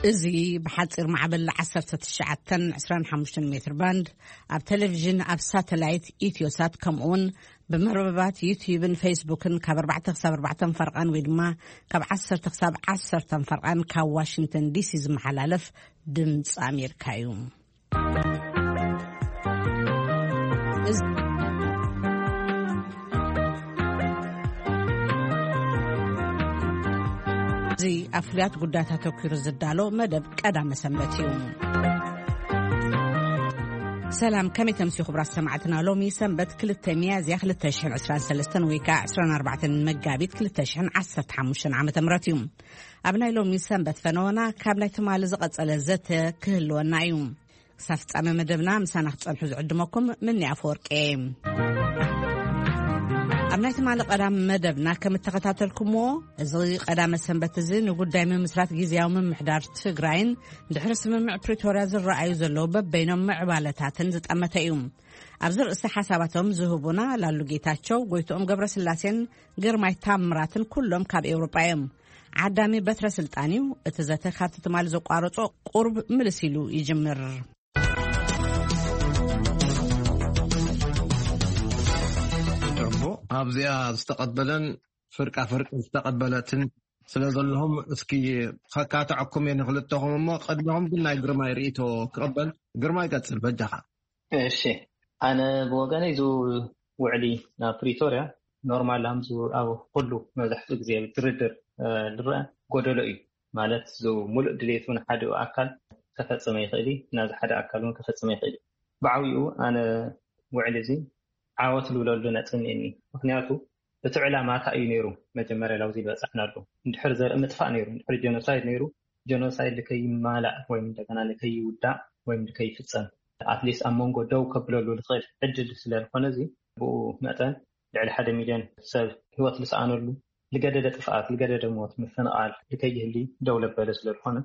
እዚ ብሓጺር ማዕበል ዓሰርተ ትሽዓተን ዕስራን ሓሙሽተን ሜትር ባንድ፣ ኣብ ቴሌቪዥን፣ ኣብ ሳተላይት ኢትዮሳት፣ ከምኡውን ብመርበባት ዩትዩብን ፌስቡክን ካብ ኣርባዕተ ክሳብ ኣርባዕተ ፈርቓን ወይ ድማ ካብ ዓሰርተ ክሳብ ዓሰርተ ፈርቓን ካብ ዋሽንግተን ዲሲ ዝመሓላለፍ ድምፂ ኣሜሪካ እዩ። እዚ ኣብ ፍሉያት ጉዳያት ኣተኲሩ ዝዳሎ መደብ ቀዳመ ሰንበት እዩ። ሰላም፣ ከመይ ተምስዩ ክቡራት ሰማዕትና? ሎሚ ሰንበት ክልተ ሚያዝያ ክልተ ሽሕን ዕስራን ሰለስተን ወይ ከዓ ዕስራን ኣርባዕተን መጋቢት ክልተ ሽሕን ዓሰርተ ሓሙሽተን ዓመተ ምህረት እዩ። ኣብ ናይ ሎሚ ሰንበት ፈነወና ካብ ናይ ትማሊ ዝቐጸለ ዘተ ክህልወና እዩ። ክሳብ ፍጻመ መደብና ምሳና ክትጸንሑ ዝዕድመኩም ምኒ ኣፈወርቂ እየ። ኣብ ናይ ትማሊ ቀዳም መደብና ከም እተኸታተልኩምዎ፣ እዚ ቀዳመ ሰንበት እዚ ንጉዳይ ምምስራት ግዝያዊ ምምሕዳር ትግራይን ድሕሪ ስምምዕ ፕሪቶርያ ዝረኣዩ ዘለዉ በበይኖም ምዕባለታትን ዝጠመተ እዩ። ኣብዚ ርእሲ ሓሳባቶም ዝህቡና ላሉ ጌታቸው፣ ጎይትኦም ገብረስላሴን ግርማይ ታምራትን ኩሎም ካብ ኤውሮጳ እዮም። ዓዳሚ በትረ ስልጣን እዩ። እቲ ዘተ ካብቲ ትማሊ ዘቋረጾ ቁርብ ምልስ ኢሉ ይጅምር። እሞ ኣብዚኣ ዝተቐበለን ፍርቃ ፍርቂ ዝተቐበለትን ስለ ዘለኹም፣ እስኪ ከካትዐኩም እየ ንክልተኹም። እሞ ቅድሚኹም ግን ናይ ግርማይ ርእይቶ ክቕበል። ግርማይ፣ ቀጽል በጃኻ። እሺ፣ ኣነ ብወገነይ እዚ ውዕሊ ናብ ፕሪቶርያ ኖርማል ኣምዝ ኣብ ኩሉ መብዛሕትኡ ግዜ ድርድር፣ እ፣ ዝረአ ጎደሎ እዩ። ማለት እዚ ሙሉእ ድሌቱ ንሓደ ኣካል ከፈጽመ ይኽእል እዩ፣ ናዚ ሓደ ኣካል እውን ከፈጽመ ይኽእል እዩ። ብዓብይኡ ኣነ ውዕሊ እዚ ዓወት ዝብለሉ ነጥቢ እኒአኒ። ምኽንያቱ እቲ ዕላማ እንታይ እዩ ነይሩ? መጀመርያ ላብዚ ዝበጻሕናሉ እንድሕር ዘርኢ ምጥፋእ ነይሩ፣ እንድሕር ጀኖሳይድ ነይሩ፣ ጀኖሳይድ ንከይማላእ ወይም እንደገና ንከይውዳእ ወይም ንከይፍጸም ኣትሊስት ኣብ መንጎ ደው ከብለሉ ዝኽእል ዕድል ስለ ዝኾነ፣ እዚ ብኡ መጠን ልዕሊ ሓደ ሚልዮን ሰብ ህይወት ዝሰኣነሉ፣ ዝገደደ ጥፍኣት፣ ዝገደደ ሞት፣ ምፍንቓል ንከይህሊ ደው ለበለ ስለ ዝኾነ፣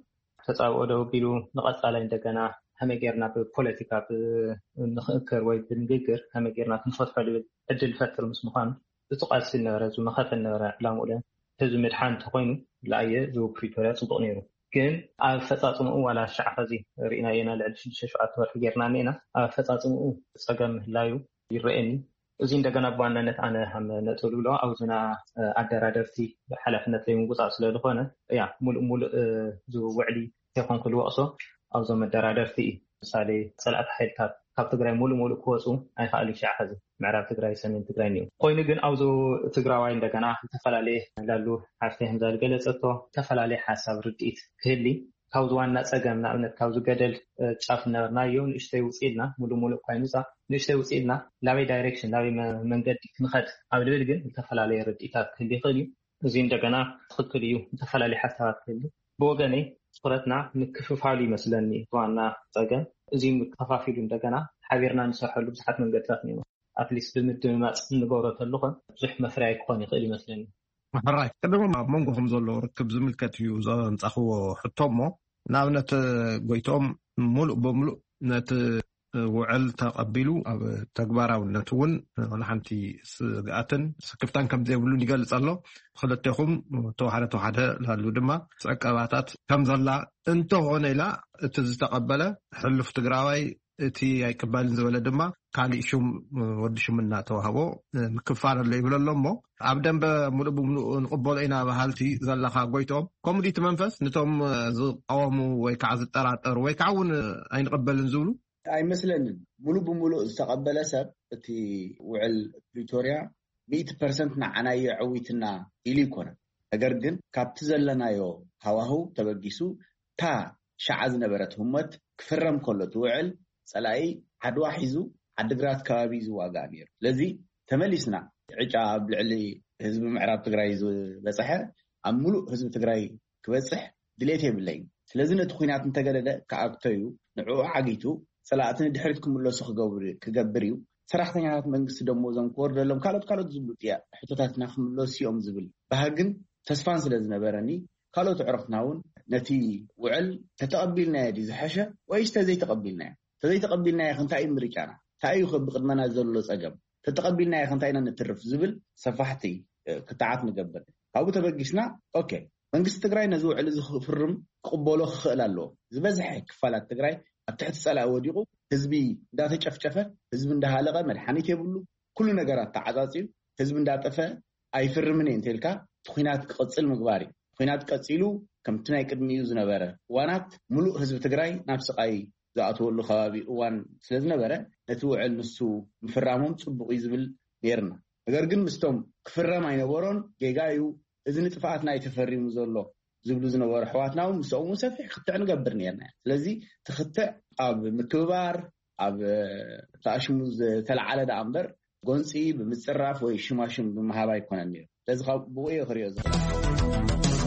ተጻብኦ ደው ኣቢሉ ንቐጻላይ እንደገና ከመይ ጌርና ብፖለቲካ ብ-፣ ንኽእከር ወይ ብንግግር ከመይ ጌርና ክንፈትሖ ዝብል ዕድል ፈጥር ምስ ምዃኑ፣ እቲ ቃልሲ ዝነበረ፣ ዝመኸተ ዝነበረ ዕላምኡ ለ ህዝቢ ምድሓን እንተኾይኑ፣ ለኣየ እዚ ፕሪቶርያ ጽቡቕ ነይሩ። ግን ኣብ ኣፈጻጽምኡ ዋላ ሽዓ ኸዚ ርኢናዮ ኢና፣ ልዕሊ ሽዱሽተ ሸውዓተ ወርሒ ጌርና እኒኤና። ኣብ ኣፈጻጽምኡ ጸገም ምህላዩ ይረኣየኒ። እዚ እንደገና ብዋናነት ኣነ ከም ነጥብ ዝብሎ ኣብዝና ኣደራደርቲ ሓላፍነት ዘይምውጻእ ስለ ዝኾነ፣ ያ፣ ሙሉእ ሙሉእ፣ እ፣ እዚ ውዕሊ እንተይኮንኩ ዝወቕሶ ኣብዞም መደራደርቲ እዩ። ምሳሌ፣ ጸላእቲ ሓይልታት ካብ ትግራይ ሙሉእ ሙሉእ ክወፁ ኣይከኣሉ። ሽዓ ኸዚ ምዕራብ ትግራይ፣ ሰሜን ትግራይ እኒኦ። ኮይኑ ግን ኣብዚ ትግራዋይ እንደገና ዝተፈላለየ ላሉ ሓፍተይ ከምዛ ዝገለጸቶ ዝተፈላለየ ሓሳብ ርድኢት ክህሊ፣ ካብዚ ዋና ጸገም፣ ንኣብነት ካብዚ ገደል፣ እ፣ ጫፍ እናበልናዮ ንእሽተይ ውፅእ ኢልና፣ ሙሉእ ሙሉእ እኳ ይምፃእ፣ ንእሽተይ ውፅእ ኢልና ናበይ ዳይሬክሽን፣ ናበይ መ-፣ መንገዲ ክንኸድ ኣብ ልብል ግን ዝተፈላለየ ርድኢታት ክህሊ ይኽእል እዩ። እዚ እንደገና ትኽክል እዩ፣ ዝተፈላለየ ሓሳባት ክህሊ። ብወገነይ ትኹረትና ምክፍፋሉ ይመስለኒ እቲ ዋና ጸገም። እዚ ምክፋፊሉ እንደገና ሓቢርና ንሰርሐሉ ብዙሓት መንገድታት እኒኦ። ኣትሊስት ብምድምማፅ እንገብሮ ተልኾ ብዙሕ መፍረያይ ክኾን ይኽእል ይመስለኒ። ሕራይ፣ ቅድም ኣብ መንጎኹም ዘሎ ርክብ ዝምልከት እዩ ዘንጻኽዎ ሕቶ እሞ፣ ንኣብነት ጎይቶም ሙሉእ ብምሉእ ነቲ ውዕል ተቐቢሉ ኣብ ተግባራውነት እውን ዋላ ሓንቲ ስግኣትን ስክፍታን ከም ዘይብሉን ይገልጽ ኣሎ። ክልቴኹም ተዋሓደ ተዋሓደ ላሉ ድማ ዕቀባታት ከም ዘላ እንተኾነ ኢላ፣ እቲ ዝተቐበለ ሕሉፍ ትግራዋይ፣ እቲ ኣይቅበልን ዝበለ ድማ ካሊእ ሹም፣ ወዲ ሹም እናተዋህቦ ምክፋል ኣሎ ይብል ኣሎ። እሞ ኣብ ደንበ ሙሉእ ብምሉእ ንቕበሎ ኢና በሃልቲ ዘለኻ ጎይቶም፣ ከምኡ ድዩ እቲ መንፈስ? ንቶም ዝቃወሙ ወይ ከዓ ዝጠራጠሩ ወይ ከዓ እውን ኣይንቕበልን ዝብሉ? ኣይመስለንን። ሙሉእ ብምሉእ ዝተቐበለ ሰብ እቲ ውዕል ፕሪቶርያ ሚእቲ ፐርሰንት ንዓናዮ ዕዊትና ኢሉ ይኮነን። ነገር ግን ካብቲ ዘለናዮ ሃዋህው ተበጊሱ፣ እታ ሸዓ ዝነበረት ህሞት ክፍረም ከሎ እቲ ውዕል፣ ጸላኢ ዓድዋ ሒዙ ዓድግራት ከባቢ እዩ ዝዋጋእ ነይሩ። ስለዚ ተመሊስና፣ ዕጫ ኣብ ልዕሊ ህዝቢ ምዕራብ ትግራይ ዝበጽሐ ኣብ ሙሉእ ህዝቢ ትግራይ ክበጽሕ ድሌት የብለይን። ስለዚ ነቲ ኲናት እንተገደደ ክኣክቶ እዩ፣ ንዕኡ ዓጊቱ ጸላእቲ ንድሕሪት ክምለሱ ክገብር፣ ክገብር እዩ። ሰራሕተኛታት መንግስቲ ደሞዞም ክወርደሎም፣ ካልኦት ካልኦት ዝብሉ ጥያ-፣ ሕቶታትና ክምለሱ እዮም ዝብል ባህግን ተስፋን ስለ ዝነበረኒ፣ ካልኦት ኣዕሩኽትና እውን ነቲ ውዕል ተተቐቢልናዮ ድዩ ዝሐሸ ወይስ ተዘይተቐቢልናዮ? ተዘይተቐቢልናዮ ከ እንታይ እዩ ምርጫና? እንታይ እዩ ከ ብቕድመና ዘሎ ጸገም? ተተቐቢልናዮ ከ እንታይ ኢና ነትርፍ ዝብል ሰፋሕቲ፣ እ፣ ክትዓት ንገብር። ካብኡ ተበጊስና፣ ኦኬ፣ መንግስቲ ትግራይ ነዚ ውዕል እዚ ክፍርም ክቕበሎ ክኽእል ኣለዎ። ዝበዝሐ ክፋላት ትግራይ ኣብ ትሕቲ ጸላኢ ወዲቑ፣ ህዝቢ እንዳተጨፍጨፈ፣ ህዝቢ እንዳሃለቐ፣ መድሓኒት የብሉ፣ ኩሉ ነገራት ተዓጻጺዩ፣ ህዝቢ እንዳጠፈ ኣይፍርምን እየ እንተልካ እቲ ኲናት ክቕጽል ምግባር እዩ። ኲናት ቀጺሉ ከምቲ ናይ ቅድሚኡ ዝነበረ እዋናት ምሉእ ህዝቢ ትግራይ ናብ ስቓይ ዝኣተወሉ ከባቢ እዋን ስለ ዝነበረ ነቲ ውዕል ንሱ ምፍራሞም ጽቡቕ እዩ ዝብል ነይርና። ነገር ግን ምስቶም ክፍረም ኣይነበሮን፣ ጌጋ እዩ፣ እዚ ንጥፍኣትና እዩ ተፈሪሙ ዘሎ ዝብሉ ዝነበሩ ኣሕዋትና እውን ምስኦም እውን ሰፊሕ ክትዕ ንገብር ነርና። ስለዚ እቲ ክትዕ ኣብ ምክብባር፣ ኣብ ተኣሽሙ ዝተለዓለ ደኣ እምበር ጎንፂ ብምፅራፍ ወይ ሽማሽም ብምሃብ ኣይኮነን ነይሩ። ስለዚ ካብ ብኡ እየ ክሪኦ ዝኽእል።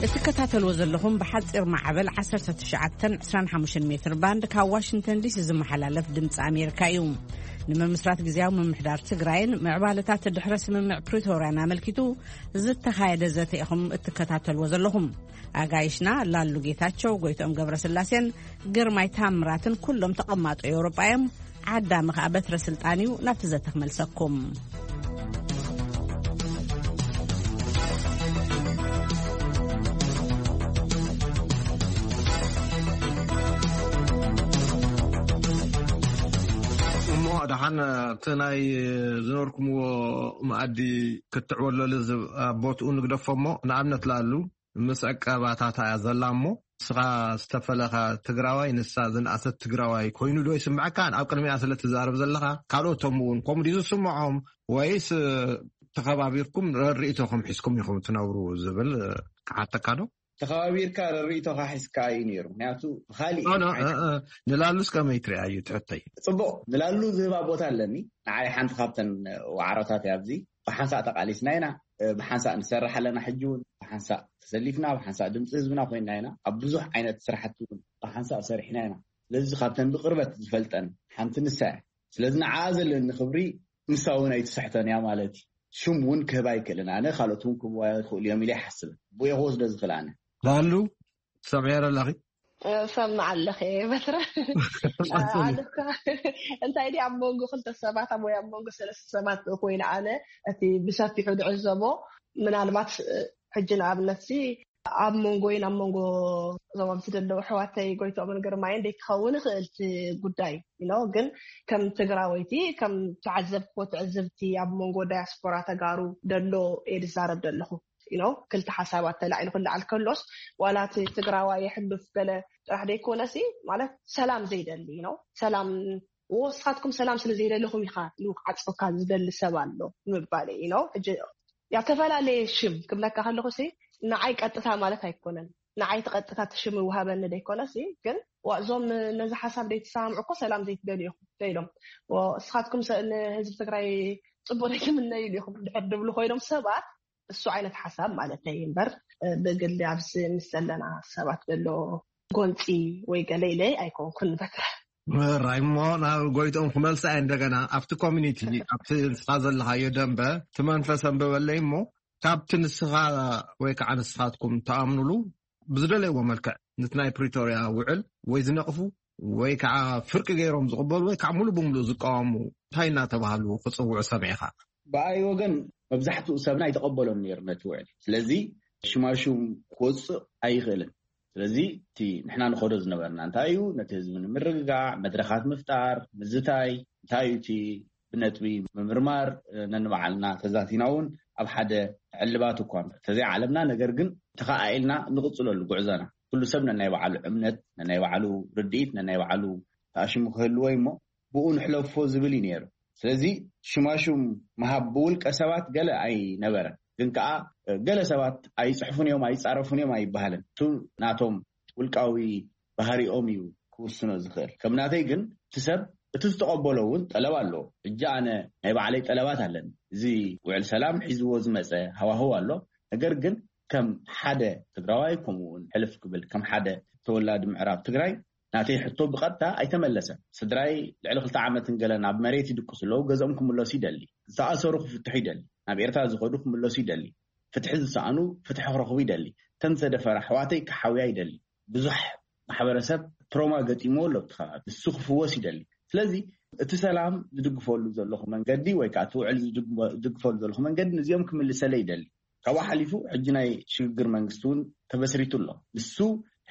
እትከታተልዎ ዘለኹም ብሓፂር ማዕበል ዓሰርተ ትሽዓተን ዕስራን ሓሙሽተን ሜትር ባንድ ካብ ዋሽንግተን ዲሲ ዝመሓላለፍ ድምፂ ኣሜሪካ እዩ። ንምምስራት ግዜያዊ ምምሕዳር ትግራይን ምዕባለታት ድሕረ ስምምዕ ፕሪቶርያን ኣመልኪቱ ዝተኻየደ ዘተ ኢኹም እትከታተልዎ ዘለኹም። ኣጋይሽና ላሉ ጌታቸው፣ ጎይትኦም ገብረስላሴን ግርማይ ታምራትን ኩሎም ተቐማጦ ኤውሮጳ እዮም። ዓዳሚ ከኣ በትረ ስልጣን እዩ። ናብቲ ዘተ ክመልሰኩም። እሞ ደሓን ኣብቲ ናይ ዝነበርኩምዎ መኣዲ ክትዕወለሉ ዝ- ኣብ ቦትኡ ንግደፎ እሞ ንኣብነት ላሉ ምስ ዕቀባታት እያ ዘላ እሞ ንስኻ ዝተፈለኻ ትግራዋይ ንሳ ዝነኣሰት ትግራዋይ ኮይኑ ዶ ይስምዐካ? ኣብ ቅድሚያ ስለ ትዛረብ ዘለኻ ካልኦቶም እውን ከምኡ ድዩ ዝስምዖም ወይስ ተኸባቢርኩም ረድኢቶኹም ሒዝኩም ኢኹም ትነብሩ ዝብል ክሓተካ ዶ? ተኸባቢርካ ረድኢቶኻ ሒዝካ እዩ ነይሩ። ምክንያቱ ብኻሊእ ኖ፣ ኖ፣ ዓይነት እ፣ እ፣ ንላሉስ ከመይ ትሪኣ እዩ ትሕተይ? ጽቡቕ፣ ንላሉ ዝህባ ቦታ ኣለኒ። ንዓይ ሓንቲ ካብተን ዋዕሮታት እያ ኣብዚ። ብሓንሳእ ተቓሊስና ኢና፣ ብሓንሳእ ንሰርሕ ኣለና። ሕጂ እውን ብሓንሳእ ተሰሊፍና፣ ብሓንሳእ ድምፂ ህዝብና ኮይንና ኢና። ኣብ ብዙሕ ዓይነት ስራሕቲ እውን ብሓንሳእ ሰሪሕና ኢና። ስለዚ ካብተን ብቅርበት ዝፈልጠን ሓንቲ ንሳ እያ። ስለዚ ንዓኣ ዘለኒ ክብሪ ንሳ እውን ኣይትስሕቶን እያ ማለት እዩ። ሽም እውን ክህባ ኣይክእልን። ኣነ ካልኦት እውን ክህብዋ ይኽእሉ እዮም ኢለ ይሓስብ። ብኡ እየ ክወስዶ ዝኽእል ኣነ። ላሉ ትሰምዕዮ ኣለኺ? ሰምዕ ኣለኸ በትረ ኣነካ እንታይ ዲ ኣብ መንጎ ክልተ ሰባት ኣብ ወይ ኣብ መንጎ ሰለስተ ሰባት ኮይኑ ኣነ እቲ ብሰፊሑ ድዕዘቦ ምናልባት ሕጂ ንኣብነት ሲ ኣብ መንጎይን ኣብ መንጎ እዞም ኣብዚ ዘለዉ ኣሕዋተይ ጎይትኦምን ግርማይን ደይ ክኸውን ይኽእል እቲ ጉዳይ ኢኖ ግን ከም ትግራወይቲ ከም ተዓዘብክዎ ትዕዝብቲ ኣብ መንጎ ዳያስፖራ ተጋሩ ደሎ እየ ዝዛረብ ዘለኹ ኢኖ ክልተ ሓሳባት ተላዒሉ ክለዓል ከሎስ ዋላ እቲ ትግራዋይ የሕሉፍ ገለ ጥራሕ ደይኮነሲ ማለት ሰላም ዘይደሊ ኢኖ ሰላም ወስኻትኩም ሰላም ስለ ዘይደለኹም ኢኻ ኢሉ ክዓፅወካ ዝደሊ ሰብ ኣሎ ምባል ኢኖ ሕጂ ያተፈላለየ ሽም ክብለካ ከለኹ ሲ ንዓይ ቀጥታ ማለት ኣይኮነን ንዓይ እቲ ቀጥታ እቲ ሽም ይውሃበኒ ዘይኮነ ሲ ግን ዋ እዞም ነዚ ሓሳብ ዘይትሰማምዑ እኮ ሰላም ዘይትደልዩ ኢኹም ኢሎም ንስኻትኩም ንህዝቢ ትግራይ ፅቡቅ ዘይትምነዩ ኢኹም ድሕር ድብሉ ኮይኖም ሰባት እሱ ዓይነት ሓሳብ ማለት እዩ እምበር ብግሊ ኣብዚ ምስ ዘለና ሰባት ዘሎ ጎንፂ ወይ ገለ ኢለ ኣይኮንኩን በትረ ራይ እሞ ናብ ጎይቶም ክመልሳ እየ እንደገና ኣብቲ ኮሚኒቲ ኣብቲ ንስኻ ዘለኻዮ ደንበ እቲ መንፈስ ኣንበበለይ እሞ ካብቲ ንስኻ ወይ ከዓ ንስኻትኩም ተኣምኑሉ ብዝደለይዎ መልክዕ ነቲ ናይ ፕሪቶርያ ውዕል ወይ ዝነቕፉ ወይ ከዓ ፍርቂ ገይሮም ዝቕበሉ ወይ ከዓ ሙሉ ብምሉእ ዝቃወሙ እንታይ እናተባሃሉ ክፅውዑ ሰሚዕኻ? ብኣይ ወገን መብዛሕትኡ ሰብና ኣይተቐበሎን ነይሩ ነቲ ውዕል። ስለዚ ሽማሹም ክወፅእ ኣይኽእልን። ስለዚ እቲ ንሕና ንኸዶ ዝነበርና እንታይ እዩ? ነቲ ህዝቢ ንምርግጋዕ መድረኻት ምፍጣር፣ ምዝታይ፣ እንታይ እዩ እቲ ብነጥቢ ምምርማር ነንባዕልና ተዛቲና እውን ኣብ ሓደ ዕልባት እኳ እንተዘይዓለምና ነገር ግን ተኸኣኢልና ንቕፅለሉ ጉዕዞና ኩሉ ሰብ ነናይ ባዕሉ እምነት ነናይ ባዕሉ ርድኢት ነናይ ባዕሉ ተኣሽሙ ክህልዎ እሞ ብኡ ንሕለፎ ዝብል እዩ ነይሩ። ስለዚ ሽማሹም ምሃብ ብውልቀ ሰባት ገለ ኣይነበረን። ግን ከኣ ገለ ሰባት ኣይፅሕፉን እዮም ኣይፃረፉን እዮም ኣይበሃልን። እቱ ናቶም ውልቃዊ ባህሪኦም እዩ ክውስኖ ዝኽእል። ከም ናተይ ግን እቲ ሰብ እቲ ዝተቐበሎ እውን ጠለብ ኣለዎ። ሕጂ ኣነ ናይ ባዕለይ ጠለባት ኣለኒ። እዚ ውዕል ሰላም ሒዝዎ ዝመፀ ሃዋህው ኣሎ። ነገር ግን ከም ሓደ ትግራዋይ ከምኡ እውን ሕልፍ ክብል ከም ሓደ ተወላዲ ምዕራብ ትግራይ ናተይ ሕቶ ብቐጥታ ኣይተመለሰን። ስድራይ ልዕሊ ክልተ ዓመትን ገለን ኣብ መሬት ይድቅሱ ኣለዉ። ገዝኦም ክምለሱ ይደሊ። ዝተኣሰሩ ክፍትሑ ይደሊ። ናብ ኤርትራ ዝኸዱ ክምለሱ ይደሊ። ፍትሒ ዝሰኣኑ ፍትሒ ክረኽቡ ይደሊ። እተን ዝተደፈራ ኣሕዋተይ ክሓውያ ይደሊ። ብዙሕ ማሕበረሰብ ትሮማ ገጢምዎ ኣሎ ኣብቲ ከባቢ። ንሱ ክፍወስ ይደሊ። ስለዚ እቲ ሰላም ዝድግፈሉ ዘለኹ መንገዲ ወይ ከዓ እቲ ውዕል ዝድግፈሉ ዘለኹ መንገዲ ንዚኦም ክምልሰለ ይደሊ። ካብኡ ሓሊፉ ሕጂ ናይ ሽግግር መንግስቲ እውን ተበስሪቱ ኣሎ። ንሱ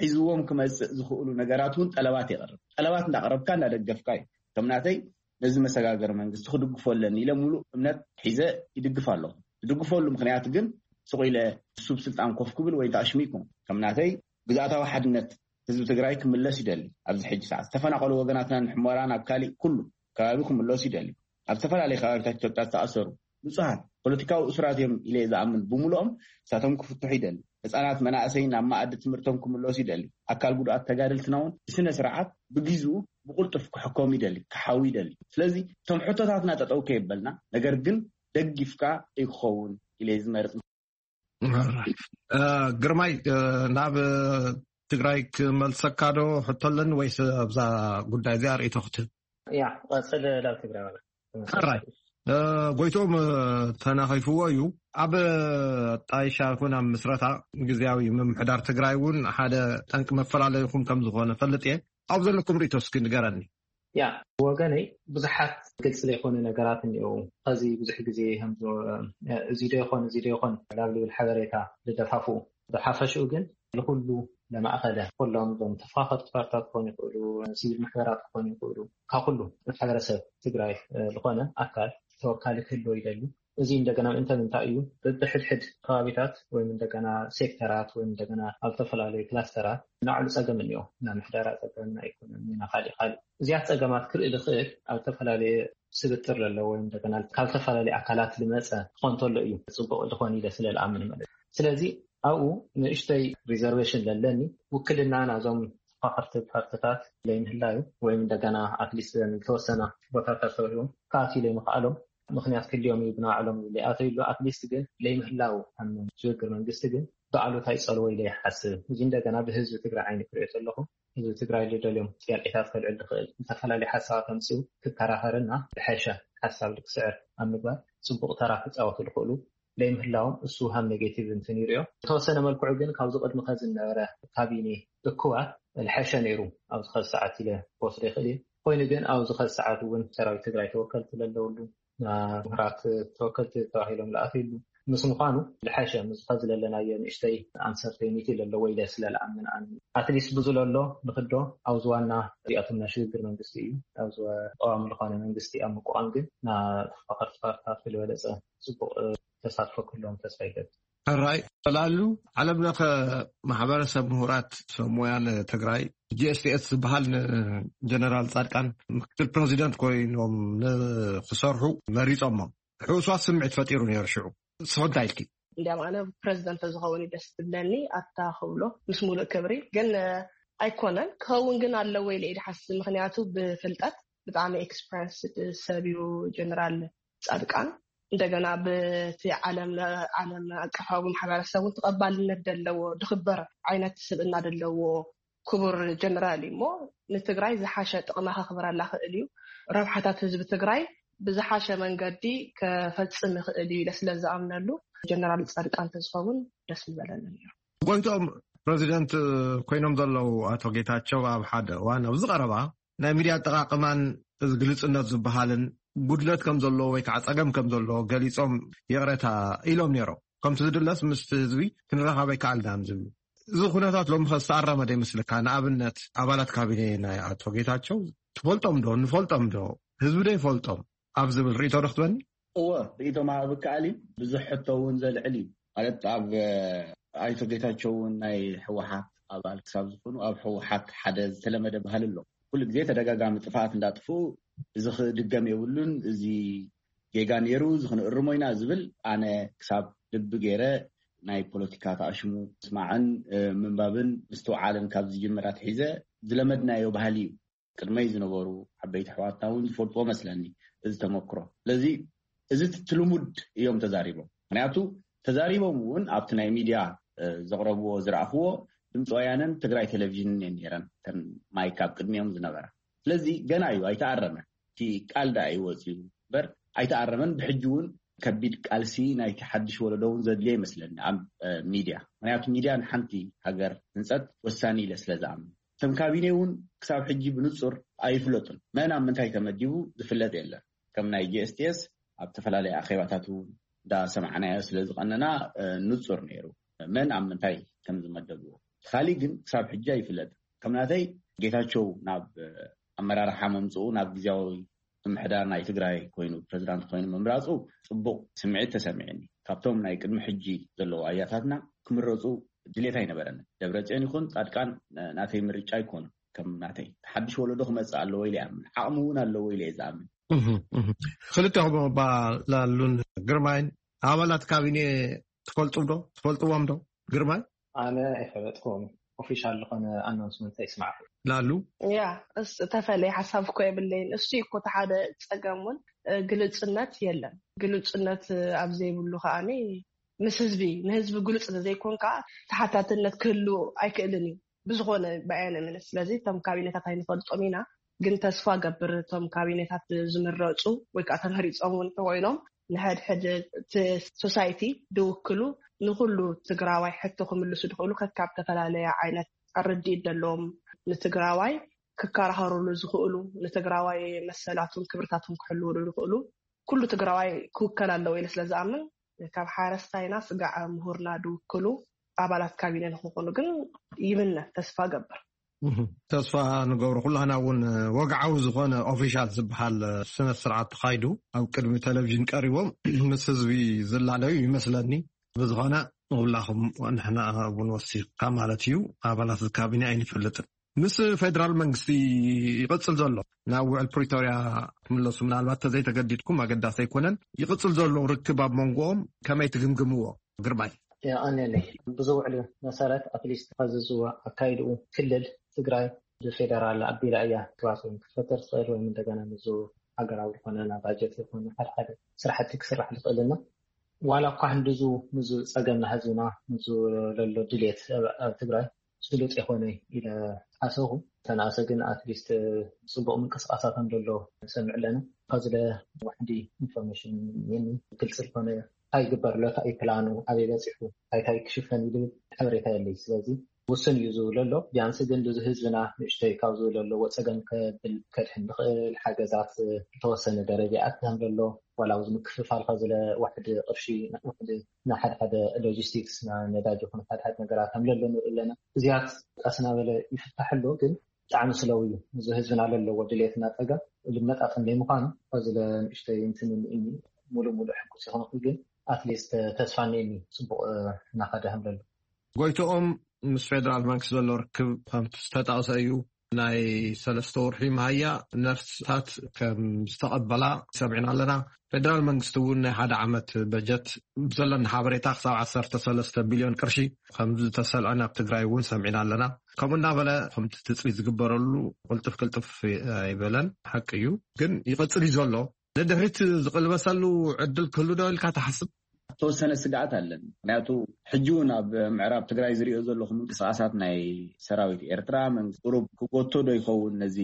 ሒዝዎም ክመፅእ ዝኽእሉ ነገራት እውን ጠለባት የቕርብ። ጠለባት እንዳቕረብካ እንዳደገፍካ እዩ። ከም ናተይ ነዚ መሰጋገር መንግስቲ ክድግፎ ኣለኒ ኢለ ሙሉእ እምነት ሒዘ ይድግፍ ኣለኹ። ዝድግፈሉ ምክንያት ግን ስቕ ኢለ ስብ ስልጣን ኮፍ ክብል ወይ ተኣሽሙ ይኮን። ከም ናተይ ግዝኣታዊ ሓድነት ህዝቢ ትግራይ ክምለስ ይደሊ። ኣብዚ ሕጂ ሰዓት ዝተፈናቀሉ ወገናትና ንሕሞራ ናብ ካሊእ ኩሉ ከባቢ ክምለሱ ይደሊ። ኣብ ዝተፈላለዩ ከባቢታት ኢትዮጵያ ዝተኣሰሩ ንጹሃት ፖለቲካዊ እሱራት እዮም ኢለ ዝኣምን። ብምሉኦም እሳቶም ክፍትሑ ይደሊ። ህፃናት መናእሰይ ናብ መኣዲ ትምህርቶም ክምለሱ ይደሊ። ኣካል ጉድኣት ተጋደልትና እውን ብስነ ስርዓት ብግዝኡ ብቁልጡፍ ክሕከሙ ይደሊ፣ ክሓዊ ይደሊ። ስለዚ እቶም ሕቶታትና ጠጠው ከየበልና ነገር ግን ደጊፍካ ይክኸውን ኢለ ዝመርፅ። ግርማይ ናብ ትግራይ ክመልሰካ ዶ ሕቶ ኣለኒ ወይስ ኣብዛ ጉዳይ እዚኣ ርእይቶ ክትህብ? ያ ቀፅል ናብ ትግራይ ማለት ሕራይ ጎይቶም ተናኺፍዎ እዩ። ኣብ ጣይሻ ይኹን ኣብ ምስረታ ግዜያዊ ምምሕዳር ትግራይ እውን ሓደ ጠንቂ መፈላለይኹም ከም ዝኾነ ፈልጥ እየ። ኣብ ዘለኩም ርእይቶ እስኪ ንገረኒ። ያ ወገነይ ብዙሓት ግልፂ ዘይኮኑ ነገራት እኒአው። ከዚ ብዙሕ ግዜ ከምዚ እዚ ዶ ይኾን እዚ ዶ ይኾን ናብ ልብል ሓበሬታ ዝደፋፍኡ። ብሓፈሽኡ ግን ንኩሉ ለማእኸለ ኩሎም ዞም ተፋኸርቲ ፓርትታት ክኾኑ ይኽእሉ፣ ሲቪል ማሕበራት ክኾኑ ይኽእሉ፣ ካብ ኩሉ ማሕበረሰብ ትግራይ ዝኾነ ኣካል ተወካሊ ክህልዎ ይደሊ። እዚ እንደገና እንተ ምንታይ እዩ ብብሕድሕድ ከባቢታት ወይም እንደገና ሴክተራት ወይም እንደገና ኣብ ዝተፈላለዩ ክላስተራት ናዕሉ ፀገም እኒኦ። ናይ ምሕደራ ፀገም፣ ናይ ኢኮኖሚ፣ ናይ ካሊእ ካሊእ። እዚያት ፀገማት ክርኢ ዝኽእል ኣብ ዝተፈላለየ ስብጥር ለለዎ ወይም እንደገና ካብ ዝተፈላለየ ኣካላት ዝመፀ ክኾን ተሎ እዩ ፅቡቅ ዝኾን ኢለ ስለ ዝኣምን ማለት እዩ። ስለዚ ኣብኡ ንእሽተይ ሪዘርቬሽን ለለኒ ውክልና ናዞም ተፋኸርቲ ፓርትታት ለይምህላዩ ወይም እንደገና ኣትሊስት ዝተወሰነ ቦታታት ተውሂቦም ከኣትዩ ለይምኽኣሎም ምክንያት ክልዮም እዩ ብናዕሎም ለይኣተዩሉ ኣትሊስት ግን ለይምህላው ኣብ ሽግግር መንግስቲ ግን ብኣሉታ ይፀልዎ ኢለ ይሓስብ። እዚ እንደገና ብህዝቢ ትግራይ ዓይኒ ክሪኦ ዘለኹ ህዝቢ ትግራይ ዝደልዮም ጥያቄታት ከልዕል ዝኽእል ዝተፈላለዩ ሓሳባት ኣምፅኡ ክከራኸርና ዝሐሸ ሓሳብ ክስዕር ኣብ ምግባር ፅቡቅ ተራ ክፃወቱ ዝኽእሉ ለይምህላዎም እሱ ሃም ኔጌቲቭ እንትን ይሪኦ። ዝተወሰነ መልክዑ ግን ካብዚ ቅድሚ ከዚ ዝነበረ ካቢኔ እኩባት ዝሐሸ ነይሩ ኣብዚ ከዚ ሰዓት ኢለ ክወስዶ ይኽእል እየ። ኮይኑ ግን ኣብዚ ከዚ ሰዓት እውን ሰራዊት ትግራይ ተወከልቲ ዘለውሉ ምሁራት ተወከልቲ ተባሂሎም ዝኣትይሉ ምስ ምዃኑ ዝሐሸ ምስ ከዚ ዘለናዮ ንእሽተይ ኣንሰርቴኒቲ ዘለዎ ኢለ ስለ ዝኣምን ኣነ ኣትሊስት ብዙ ለሎ ንክዶ ኣብዚ ዋና እዚኣቶም ናይ ሽግግር መንግስቲ እዩ ኣብዚ ቀዋሚ ዝኾነ መንግስቲ ኣብ ምቋቋም ግን ናብ ተፋኸርቲ ፓርትታት ዝበለፀ ፅቡቅ ተሳትፎ ክህልዎም ተስፋ ይገብር። ሕራይ ተላሉ ዓለም ለኸ ማሕበረሰብ ምሁራት ሰብ ሞያ ንትግራይ ጂ ኤስ ቲ ኤስ ዝበሃል ንጀነራል ፃድቃን ምክትል ፕረዚደንት ኮይኖም ንክሰርሑ መሪፆሞም ሕውስዋስ ስምዒት ፈጢሩ ነይሩ። ሽዑ ንስኹም እንታይ ኢልኪ? እንዲያም ኣነ ፕረዚደንት ተዝኸውን እዩ ደስ ትብለኒ ኣታ ክብሎ ምስ ሙሉእ ክብሪ ግን ኣይኮነን ክኸውን ግን ኣለዎ ኢለ ኢደ ሓስብ ምክንያቱ ብፍልጠት ብጣዕሚ ኤክስፐረንስ ሰብ እዩ ጀነራል ፃድቃን እንደገና ብቲ ዓለም ዓለም ኣቀፋዊ ማሕበረሰብ እውን ተቐባልነት ዘለዎ ድኽበር ዓይነት ስብእና ዘለዎ ክቡር ጀነራል እዩ እሞ ንትግራይ ዝሓሸ ጥቕማ ከኽብረላ ክእል እዩ ረብሓታት ህዝቢ ትግራይ ብዝሓሸ መንገዲ ከፈፅም ይኽእል እዩ ኢለ ስለ ዝኣምነሉ ጀነራል ፃድቃን ተዝኸውን ደስ ምበለኒ ነይሩ። ጎይቶም ፕረዚደንት ኮይኖም ዘለዉ ኣቶ ጌታቸው ኣብ ሓደ እዋን ኣብዚ ቀረባ ናይ ሚድያ ኣጠቃቅማን እዚ ግልፅነት ዝበሃልን ጉድለት ከም ዘለዎ ወይ ከዓ ፀገም ከም ዘለዎ ገሊፆም ይቕረታ ኢሎም ነይሮም። ከምቲ ዝድለስ ምስቲ ህዝቢ ክንረኻብ ኣይከኣልናን ዝብሉ እዚ ኩነታት ሎሚ ከ ዝተኣረመ ዶ ይመስለካ? ንኣብነት ኣባላት ካቢኔ ናይ ኣቶ ጌታቸው ትፈልጦም ዶ ንፈልጦም ዶ ህዝቢ ዶ ይፈልጦም ኣብ ዝብል ርእቶ ዶ ክትበኒ? እወ ርእቶ ምሃብ ይከኣል እዩ። ብዙሕ ሕቶ እውን ዘልዕል እዩ። ማለት ኣብ ኣይቶ ጌታቸው እውን ናይ ህወሓት ኣባል ክሳብ ዝኾኑ ኣብ ህወሓት ሓደ ዝተለመደ ባህሊ ኣሎ። ኩሉ ግዜ ተደጋጋሚ ጥፍኣት እንዳጥፍኡ እዚ ክድገም የብሉን፣ እዚ ጌጋ ነይሩ፣ እዚ ክንእርሞ ኢና ዝብል ኣነ ክሳብ ልቢ ገይረ ናይ ፖለቲካ ተኣሽሙ ምስማዕን ምንባብን ምስትውዓልን ካብ ዝጅምር ኣትሒዘ ዝለመድናዮ ባህሊ እዩ። ቅድመይ ዝነበሩ ዓበይቲ ኣሕዋትና እውን ዝፈልጥዎ መስለኒ እዚ ተመክሮ። ስለዚ እዚ ትልሙድ እዮም ተዛሪቦም። ምክንያቱ ተዛሪቦም እውን ኣብቲ ናይ ሚድያ ዘቕረብዎ ዝረኣኽዎ ድምፂ ወያነን ትግራይ ቴሌቪዥንን እየን ነይረን እተን ማይክ ኣብ ቅድሚኦም ዝነበራ። ስለዚ ገና እዩ ኣይተኣረመን። እቲ ቃል ደኣ እዩ ወፂኡ እምበር ኣይተኣረመን። ብሕጂ እውን ከቢድ ቃልሲ ናይቲ ሓድሽ ወለዶ እውን ዘድልዮ ይመስለኒ ኣብ ሚድያ። ምክንያቱ ሚድያ ንሓንቲ ሃገር ህንፀት ወሳኒ ኢለ ስለ ዝኣምን። እቶም ካቢነ እውን ክሳብ ሕጂ ብንጹር ኣይፍለጡን። መን ኣብ ምንታይ ተመዲቡ ዝፍለጥ የለን። ከም ናይ ጂ ኤስ ቲ ኤስ ኣብ ዝተፈላለዩ ኣኼባታት እውን እንዳሰማዕናዮ ስለ ዝቐነና፣ እ፣ ንጹር ነይሩ መን ኣብ ምንታይ ከም ዝመደብዎ። እቲ ካሊእ ግን ክሳብ ሕጂ ኣይፍለጥን። ከም ናተይ፣ ጌታቸው ናብ፣ እ፣ ኣመራርሓ ምምጽኡ፣ ናብ ግዝያዊ ምምሕዳር ናይ ትግራይ ኮይኑ፣ ፕሬዚዳንት ኮይኑ ምምራጹ ጽቡቕ ስምዒት ተሰሚዕኒ። ካብቶም ናይ ቅድሚ ሕጂ ዘለዉ ኣያታትና ክምረጹ ድሌት ኣይነበረንን። ደብረጽዮን ይኹን ጻድቃን፣ እ፣ ናተይ ምርጫ ኣይኮኑን። ከም ናተይ፣ ሓድሽ ወለዶ ክመጽእ ኣለዎ ኢለ ይኣምን። ዓቕሚ እውን ኣለዎ ኢለ እየ ዝኣምን። እህ፣ እህ። ክልቴኹም እባ ላሉን ግርማይን ኣባላት ካቢኔ ትፈልጡ ዶ? ትፈልጥዎም ዶ? ግርማይ? ኣነ ኣይፈለጥኩም። ኦፊሻል ዝኾነ ኣናውንስመንት ኣይስማዕኩ። ላሉ? ያ፣ እስ-፣ ተፈለየ ሓሳብ እኮ የብለይን። እሱ እኮ እቲ ሓደ ጸገም እውን፣ እ፣ ግልጽነት የለን። ግልጽነት፣ እ፣ ኣብ ዘይብሉ ከኣኒ ምስ ህዝቢ፣ ንህዝቢ ግሉጽ ዘይኮንካ ተሓታትነት ክህሉ ኣይክእልን እዩ። ብዝኾነ ብኣየነ ምንስ። ስለዚ እቶም ካቢነታት ኣይንፈልጦም ኢና፣ ግን ተስፋ ገብር እቶም ካቢነታት ዝምረጹ ወይ ከዓ ተመሪጾም እውን ተኮይኖም ንሕድሕድ እቲ ሶሳይቲ ድውክሉ፣ ንኩሉ ትግራዋይ ሕቶ ክምልሱ ድኽእሉ፣ ከካብ ዝተፈላለየ ዓይነት ኣረድኢት ዘለዎም ንትግራዋይ ክከራኸሩሉ ዝኽእሉ፣ ንትግራዋይ መሰላቱን ክብርታቱን ክሕልውሉ ዝኽእሉ፣ ኩሉ ትግራዋይ ክውከል ኣለዎ ኢለ ስለ ዝኣምን፣ ካብ ሓረስታይና ስጋዕ ምሁርና ድውክሉ ኣባላት ካቢነ ንክኾኑ ግን ይምነ፣ ተስፋ ገብር። እህ፣ ተስፋ ንገብሮ። ኩላህና እውን ወግዓዊ ዝኾነ ኦፊሻል ዝበሃል ስነ ስርዓት ተኻይዱ ኣብ ቅድሚ ቴሌቪዥን ቀሪቦም ምስ ህዝቢ ዝላለዩ ይመስለኒ። ብዝኾነ ንኹላኹም ንሕና እውን ወሲኽካ ማለት እዩ፣ ኣባላት ካቢነ ኣይንፈልጥን። ምስ ፌደራል መንግስቲ ይቕጽል ዘሎ ናብ ውዕል ፕሪቶርያ ክምለሱ ምናልባት ተዘይተገዲድኩም ኣገዳሲ ኣይኮነን። ይቕጽል ዘሎ ርክብ ኣብ መንጎኦም ከመይ ትግምግምዎ? ግርማይ። የቐንየለይ። ብዚ ውዕል መሰረት ኣትሊስት ኸዚ ዝወ ኣካይድኡ ክልል ትግራይ ብፌደራል ኣቢላ እያ ክባስ ወይም ክትፈተር ትኽእል ወይም እንደገና ንዙ ሃገራዊ ዝኾነ ናብ ባጀት ይኹን ሓደ ሓደ ስራሕቲ ክስራሕ ዝኽእልና። ዋላ እኳ ህንድዙ ምዙ ጸገም ናህዝብና ምዙ ለሎ ድልየት ኣብ ኣብ ትግራይ ስሉጥ የኾነ ኢለ ሓሰኹ። ተናእሰ ግን ኣትሊስት ጽቡቕ ምንቅስቃሳት ከም ዘሎ ሰምዕ ኣለና። ካብዚ ለ ዋሕዲ ኢንፎርሜሽን የኒ ግልጽ ዝኾነ እንታይ ይግበር ኣሎ፣ እንታይ እዩ ፕላኑ፣ ኣበይ በጺሑ፣ እንታይ እንታይ ክሽፈን እዩ ዝብል ሓበሬታ የለይ። ስለዚ ውሱን እዩ ዝብል ኣሎ። ቢያንስ ግን እዚ ህዝብና ንእሽተይ ካብ ዝብል ኣለዎ ጸገም ከብል ከድሕን ዝኽእል ሓገዛት ዝተወሰነ ደረጃ ይኣቲ ከም ዘሎ፣ ዋላ ኣብዚ ምክፍፋል ካብ ዝለ ዋሕዲ ቅርሺ፣ ዋሕዲ ንሓደ ሓደ ሎጂስቲክስ፣ ና ነዳጅ ይኹን ሓደ ሓደ ነገራት ከም ዘሎ ንርኢ ኣለና። እዚያት ቀስ እናበለ ይፍታሕ ኣሎ፣ ግን ብጣዕሚ ስለው እዩ። እዚ ህዝብና ለለዎ ድሌትና ጸገም ልመጣጠን ዘይምዃኑ፣ እዚ ለ ንእሽተይ እንትን እኒ ሙሉእ ሙሉእ ሕጉስ ይኾንኩ፣ ግን ኣትሊስት ተስፋ እኒኒ ጽቡቕ፣ እ፣ እናኸደ ከም ዘሎ። ጎይቶኦም፣ ምስ ፌደራል መንግስቲ ዘሎ ርክብ ከምቲ ዝተጠቕሰ እዩ። ናይ ሰለስተ ወርሒ መሃያ ነርስታት ከም ዝተቐበላ ሰሚዕና ኣለና። ፌደራል መንግስቲ እውን ናይ ሓደ ዓመት በጀት ብዘለና ሓበሬታ ክሳብ ዓሰርተ ሰለስተ ቢልዮን ቅርሺ ከም ዝተሰልዐ ናብ ትግራይ እውን ሰሚዕና ኣለና። ከምኡ እናበለ ከምቲ ትፅቢት ዝግበረሉ ቅልጥፍ ቅልጥፍ ኣይበለን። ሓቂ እዩ፣ ግን ይቕፅል እዩ ዘሎ። ንድሕሪት ዝቕልበሰሉ ዕድል ክህሉ ዶ ኢልካ ትሓስብ? ተወሰነ ስግኣት ኣለን። ምክንያቱ ሕጂ እውን ኣብ ምዕራብ ትግራይ ዝሪኦ ዘለኹ ምንቅስቃሳት ናይ ሰራዊት ኤርትራ፣ መንግስቲ ቁሩብ ክጎቶ ዶ ይኸውን ነዚ